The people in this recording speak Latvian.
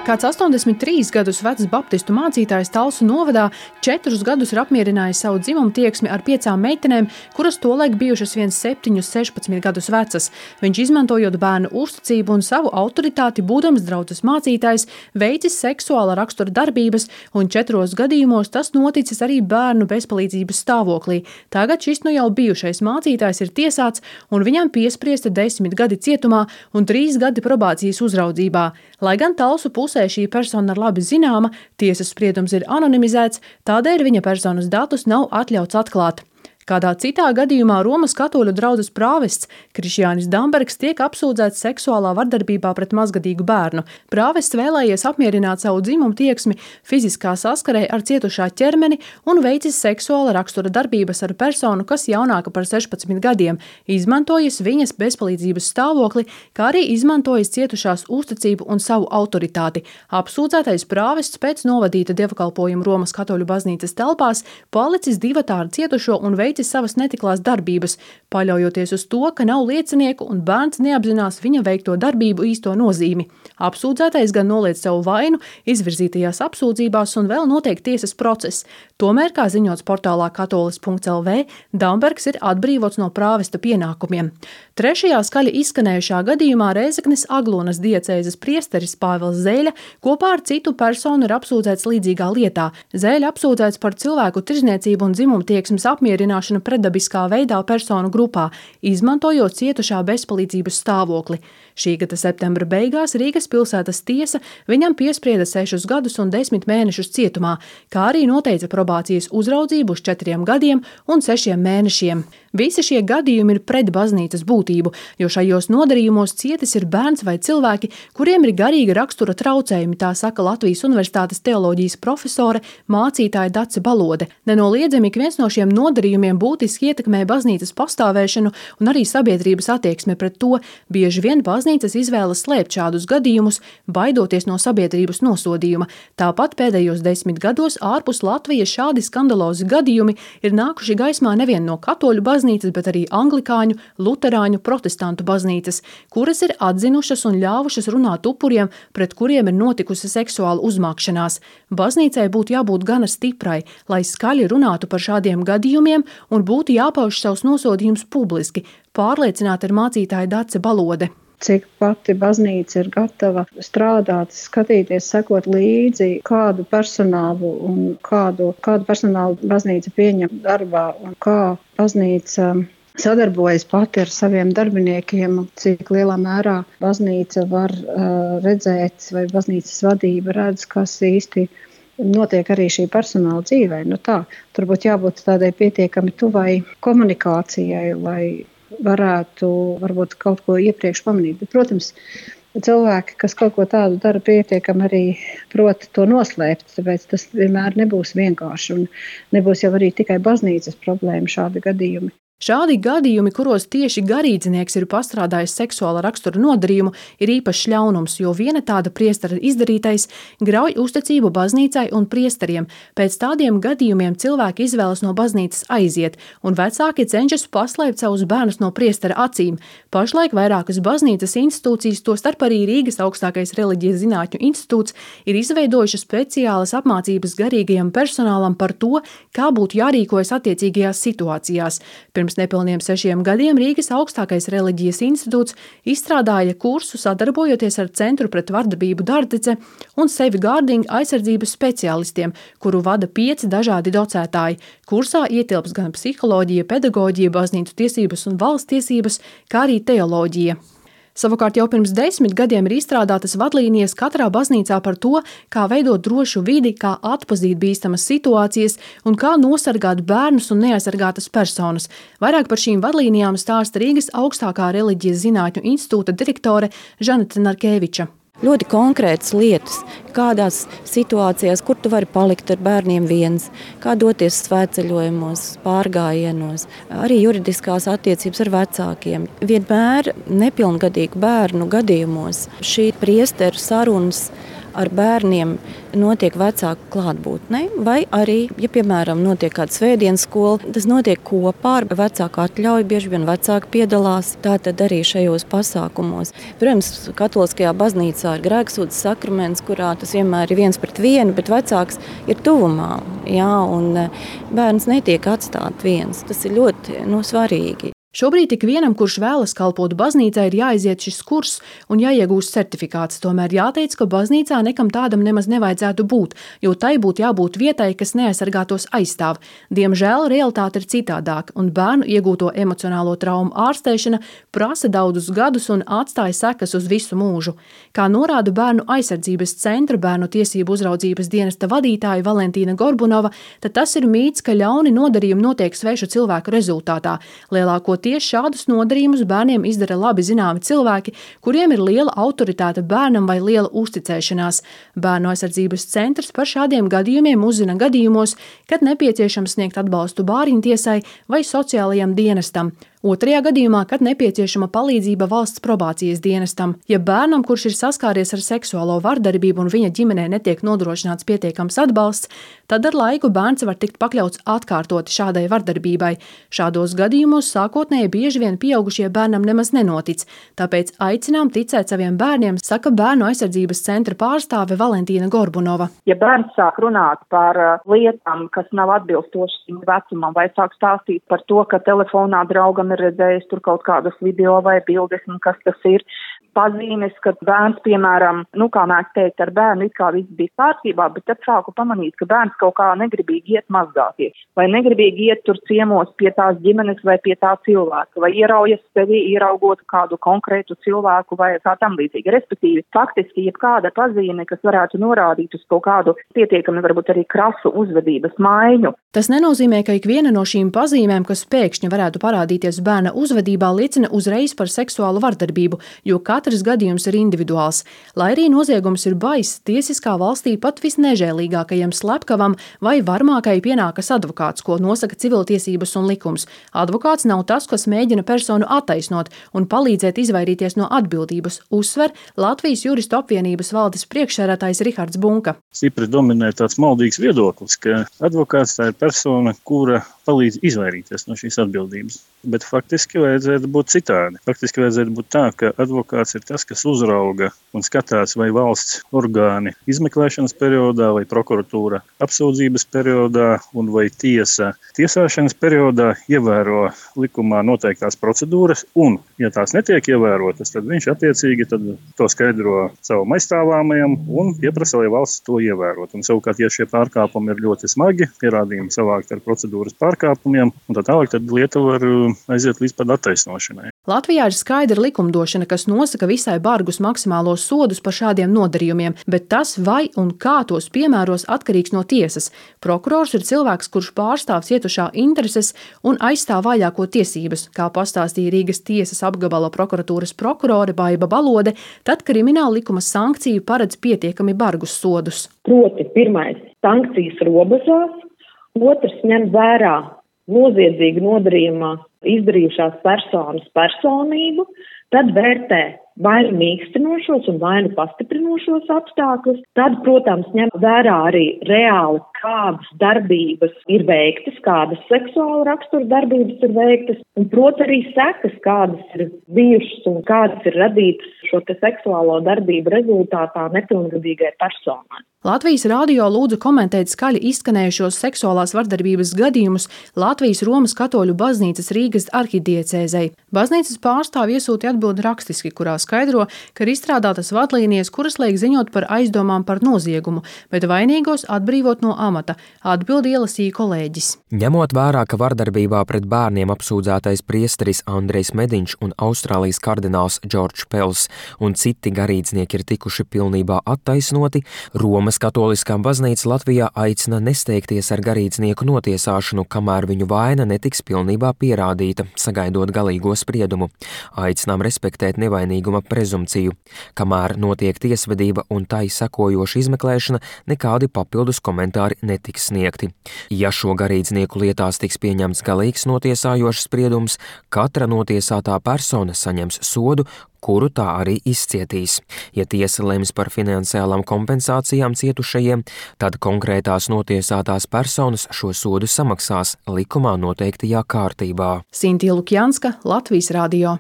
Kāds 83 gadus vecs baptistu mācītājs Talsu novadā 4 gadus ir apmierinājis savu dzimumu tieksmi ar 5 meitenēm, kuras tolaik bijušas vien 7, 16 gadus vecas. Viņš, izmantojot bērnu uzticību un savu autoritāti, būdams draudzes mācītājs, veicis seksuāla rakstura darbības, un 4 gadījumos tas noticis arī bērnu bezpalīdzības stāvoklī. Tagad šis jau bijušais mācītājs ir tiesāts, un viņam piespriesti 10 gadi cietumā un 3 gadi probācijas uzraudzībā. Lai gan Talsu pusē šī persona ir labi zināma, tiesas spriedums ir anonimizēts, tādēļ viņa personas datus nav atļauts atklāt. Kādā citā gadījumā Romas katoļu draudzes prāvests Krišjānis Dambergs tiek apsūdzēts seksuālā vardarbībā pret mazgadīgu bērnu. Prāvests vēlējies apmierināt savu dzimumu tieksmi fiziskā saskarē ar cietušā ķermeni un veicis seksuāla rakstura darbības ar personu, kas jaunāka par 16 gadiem, izmantojis viņas bezpalīdzības stāvokli, kā arī izmantojis cietušās uzticību un savu autoritāti. Apsūdzētais prāvests pēc novadīta dievkalpojuma Romas katoļu baznīcas telpās palicis divatā ar cietušo un veicis savas netiklās darbības, paļaujoties uz to, ka nav liecinieku un bērns neapzinās viņa veikto darbību īsto nozīmi. Apsūdzētais gan noliedz savu vainu izvirzītajās apsūdzībās un vēl notiek tiesas process. Tomēr, kā ziņots portālā katolis.lv, Dambergs ir atbrīvots no prāvesta pienākumiem. Trešajā skaļi izskanējušā gadījumā Rēzeknes Aglonas diecēzes priesteris Pāvils Zēļa kopā ar citu personu ir apsūdzēts līdzīgā lietā. Zēļa apsūdzēts par cilvēku tirzniecību un dzimumtieksmes apmierināšanu pretdabiskā veidā personu grupā, izmantojot cietušā bezpalīdzības stāvokli. Šī gada septembra beigās Rīgas pilsētas tiesa viņam piesprieda 6 gadus un 10 mēnešus cietumā, kā arī noteica probācijas uzraudzību uz 4 gadiem un 6 mēnešiem. Visi šie gadījumi ir pret baznīcas būtību, jo šajos nodarījumos cietis ir bērns vai cilvēki, kuriem ir garīga rakstura traucējumi, tā saka Latvijas Universitātes teoloģijas profesore, mācītāja Dace Balode. Nenoliedzami ik viens no šiem nodarījumiem būtiski ietekmē baznīcas pastāvēšanu un arī sabiedrības attieksme pret to. Bieži vien baznīcas izvēlas slēpt šādus gadījumus, baidoties no sabiedrības nosodījuma. Tāpat pēdējos 10 gados ārpus Latvijas šādi skandalozi gadījumi ir nākuši gaismā nevien no katoļu baznīcas, bet arī anglikāņu, luterāņu, protestantu baznīcas, kuras ir atzinušas un ļāvušas runāt upuriem, pret kuriem ir notikusi seksuāla uzmākšanās. Baznīcai būtu jābūt gana stiprai, lai skaļi runātu par šādiem gadījumiem un būtu jāpauž savus nosodījumus publiski, pārliecināta ir mācītāja Dace Balode. Cik pati baznīca ir gatava strādāt, skatīties, sekot līdzi, kādu personālu un kādu personālu baznīca pieņem darbā un kā baznīca sadarbojas pati ar saviem darbiniekiem, cik lielā mērā baznīca var redzēt vai baznīcas vadība redz, kas īsti notiek arī šī personāla dzīvē. Tur būtu jābūt tādai pietiekami tuvai komunikācijai, lai varētu varbūt kaut ko iepriekš pamanīt. Bet, protams, cilvēki, kas kaut ko tādu dara, pietiekami arī prot to noslēpt, tāpēc tas vienmēr nebūs vienkārši un nebūs jau arī tikai baznīcas problēma šādi gadījumi. Šādi gadījumi, kuros tieši garīdznieks ir pastrādājis seksuāla rakstura nodarījumu, ir īpašs ļaunums, jo viena tāda priestera izdarītais grauj uzticību baznīcai un priesteriem. Pēc tādiem gadījumiem cilvēki izvēlas no baznīcas aiziet, un vecāki cenšas paslēpt savus bērnus no priestera acīm. Pašlaik vairākas baznīcas institūcijas, tostarp arī Rīgas augstākais reliģijas zinātņu institūts, ir izveidojušas speciālas apmācības garīgajam personālam par to, kā būtu jārīkojas attiecīgajās situācijās. Pirms nepilniem 6 gadiem Rīgas augstākais reliģijas institūts izstrādāja kursu sadarbojoties ar Centru pret vardarbību Dārdzece un safeguarding aizsardzības speciālistiem, kuru vada 5 dažādi docētāji. Kursā ietilps gan psiholoģija, pedagoģija, baznīcu tiesības un valsts tiesības, kā arī teoloģija. Savukārt jau pirms 10 gadiem ir izstrādātas vadlīnijas katrā baznīcā par to, kā veidot drošu vidi, kā atpazīt bīstamas situācijas un kā nosargāt bērnus un neaizsargātas personas. Vairāk par šīm vadlīnijām stāsta Rīgas augstākā reliģijas zinātņu institūta direktore Žaneta Narkeviča. Ļoti konkrētas lietas, kādās situācijās, kur tu vari palikt ar bērniem viens, kā doties svētceļojumos, pārgājienos, arī juridiskās attiecības ar vecākiem. Vienmēr nepilngadīgu bērnu gadījumos šī priesteru sarunas ar bērniem notiek vecāku klātbūtnē, vai arī, ja, piemēram, notiek kāda svētdienas skola, tas notiek kopā ar vecāku atļauju, bieži vien vecāki piedalās, tātad arī šajos pasākumos. Protams, katoliskajā baznīcā ir grēksūdzes sakraments, kurā tas vienmēr ir 1:1, bet vecāks ir tuvumā, jā, un bērns netiek atstāt viens. Tas ir ļoti svarīgi. Šobrīd tik vienam, kurš vēlas kalpot baznīcai, ir jāiziet šis kurs un jāiegūst certifikāts. Tomēr jāteic, ka baznīcā nekam tādam nemaz nevajadzētu būt, jo tai būtu jābūt vietai, kas neaizsargātos aizstāv. Diemžēl realitāte ir citādāk, un bērnu iegūto emocionālo traumu ārstēšana prasa daudzus gadus un atstāja sekas uz visu mūžu. Kā norāda Bērnu aizsardzības centra bērnu tiesību uzraudzības dienesta vadītāja Valentīna Gorbunova, tad tas ir mīts, ka ļauni nodarījumi notiek svešu cilvēku rezultātā. Tieši šādus nodarījumus bērniem izdara labi zināmi cilvēki, kuriem ir liela autoritāte bērnam vai liela uzticēšanās. Bērnu aizsardzības centrs par šādiem gadījumiem uzzina gadījumos, kad nepieciešams sniegt atbalstu bāriņtiesai vai sociālajam dienestam. Otrajā gadījumā, kad nepieciešama palīdzība valsts probācijas dienestam. Ja bērnam, kurš ir saskāries ar seksuālo vardarbību un viņa ģimenē netiek nodrošināts pietiekams atbalsts, tad ar laiku bērns var tikt pakļauts atkārtoti šādai vardarbībai. Šādos gadījumos sākotnēji bieži vien pieaugušie bērnam nemaz nenotic, tāpēc aicinām ticēt saviem bērniem, saka Bērnu aizsardzības centra pārstāve Valentīna Gorbunova. Ja bērns sāk runāt par lietām, kas nav atbilstošas viņa vecumam, vai sāk stāstīt par to, ka telefonā draugam ir redzējis tur kaut kādus video vai bildes, un kas tas ir, pazīmes, ka bērns, piemēram, kā mēs teikt, ar bērnu it kā viss bija kārtībā, bet tad sāku pamanīt, ka bērns kaut kā negribīgi iet mazgāties, vai negribīgi iet tur ciemos pie tās ģimenes vai pie tā cilvēka, vai ieraujas sevi ieraugot kādu konkrētu cilvēku vai kā tam līdzīgi. Respektīvi, faktiski, jebkāda pazīme, kas varētu norādīt uz kaut kādu pietiekami varbūt arī krasu uzvedības maiņu. Tas nenozīmē, ka ikviena no šīm pazīmēm, kas pēkšņi varētu parādīties bērna uzvedībā, liecina uzreiz par seksuālu vardarbību, jo katrs gadījums ir individuāls. Lai arī noziegums ir baiss, tiesiskā valstī pat visnežēlīgākajam slepkavam vai varmākai pienākas advokāts, ko nosaka civiltiesības un likums. Advokāts nav tas, kas mēģina personu attaisnot un palīdzēt izvairīties no atbildības, uzsver Latvijas juristu apvienības valdes priekšsēdētājs Rihards Bunka. Stipri dominē tāds maldīgs viedoklis, ka advokāts tā ir persona, kura palīdz izvairīties no šīs atbildības. Bet faktiski vajadzētu būt citādi. Faktiski vajadzētu būt tā, ka advokāts ir tas, kas uzrauga un skatās, vai valsts orgāni izmeklēšanas periodā, vai prokuratūra apsūdzības periodā, un vai tiesa tiesāšanas periodā ievēro likumā noteiktās procedūras, un, ja tās netiek ievērotas, tad viņš attiecīgi to skaidro savam aizstāvāmajam un pieprasa, lai valsts to ievērot. Un savukārt, ja šie pārkāpumi ir ļoti smagi, pierādījumi savākt ar procedūras pārkāpumiem, un tā tālāk, tad lieta var aiziet līdz pat attaisnošanai. Latvijā ir skaidra likumdošana, kas nosaka visai bargus maksimālos sodus par šādiem nodarījumiem, bet tas, vai un kā tos piemēros, atkarīgs no tiesas. Prokurors ir cilvēks, kurš pārstāv cietušā intereses un aizstāv vājāko tiesības, kā pastāstīja Rīgas tiesas apgabala prokuratūras prokurore Baiba Balode, tad krimināla likuma sankciju paredz pietiekami bargus sodus. Proti, pirmais – sankcijas robežās, otrs – ņem vērā noziedzīga nodarījumā izdarījušās personas personību, tad vērtē vai nu mīkstinošos un vai nu pastiprinošos apstākļus, tad, protams, ņem vērā arī reāli, kādas darbības ir veiktas, kādas seksuāla rakstura darbības ir veiktas, un, protams, arī sekas, kādas ir bijušas un kādas ir radītas šo te seksuālo darbību rezultātā nepilngadīgai personai. Latvijas radio lūdza komentēt skaļi izskanējušos seksuālās vardarbības gadījumus Latvijas Romas katoļu baznīcas Rīgas arhidiecēzei. Baznīcas pārstāvji iesūtīja atbildi rakstiski, kurā skaidro, ka ir izstrādātas vadlīnijas, kuras liek ziņot par aizdomām par noziegumu, bet vainīgos atbrīvot no amata. Atbildi ielasīja kolēģis. Ņemot vērā, ka vardarbībā pret bērniem apsūdzētais priesteris Andrejs Mediņš un Austrālijas kardināls Džordžs Pels un citi garīdznieki ir tikuši pilnībā attaisnoti, Romas Katoliskā baznīca Latvijā aicina nesteigties ar garīdznieku notiesāšanu, kamēr viņu vaina netiks pilnībā pierādīta, sagaidot galīgo spriedumu. Aicinām respektēt nevainīguma nevainīguma prezumpciju. Kamēr notiek tiesvedība un tai sekojoša izmeklēšana, nekādi papildus komentāri netiks sniegti. Ja šo garīdznieku lietās tiks pieņemts galīgs notiesājošs spriedums, katra notiesātā persona saņems sodu, kuru tā arī izcietīs. Ja tiesa lems par finansiālām kompensācijām cietušajiem, tad konkrētās notiesātās personas šo sodu samaksās likumā noteiktajā kārtībā. Sintīja Lukjanska, Latvijas radio.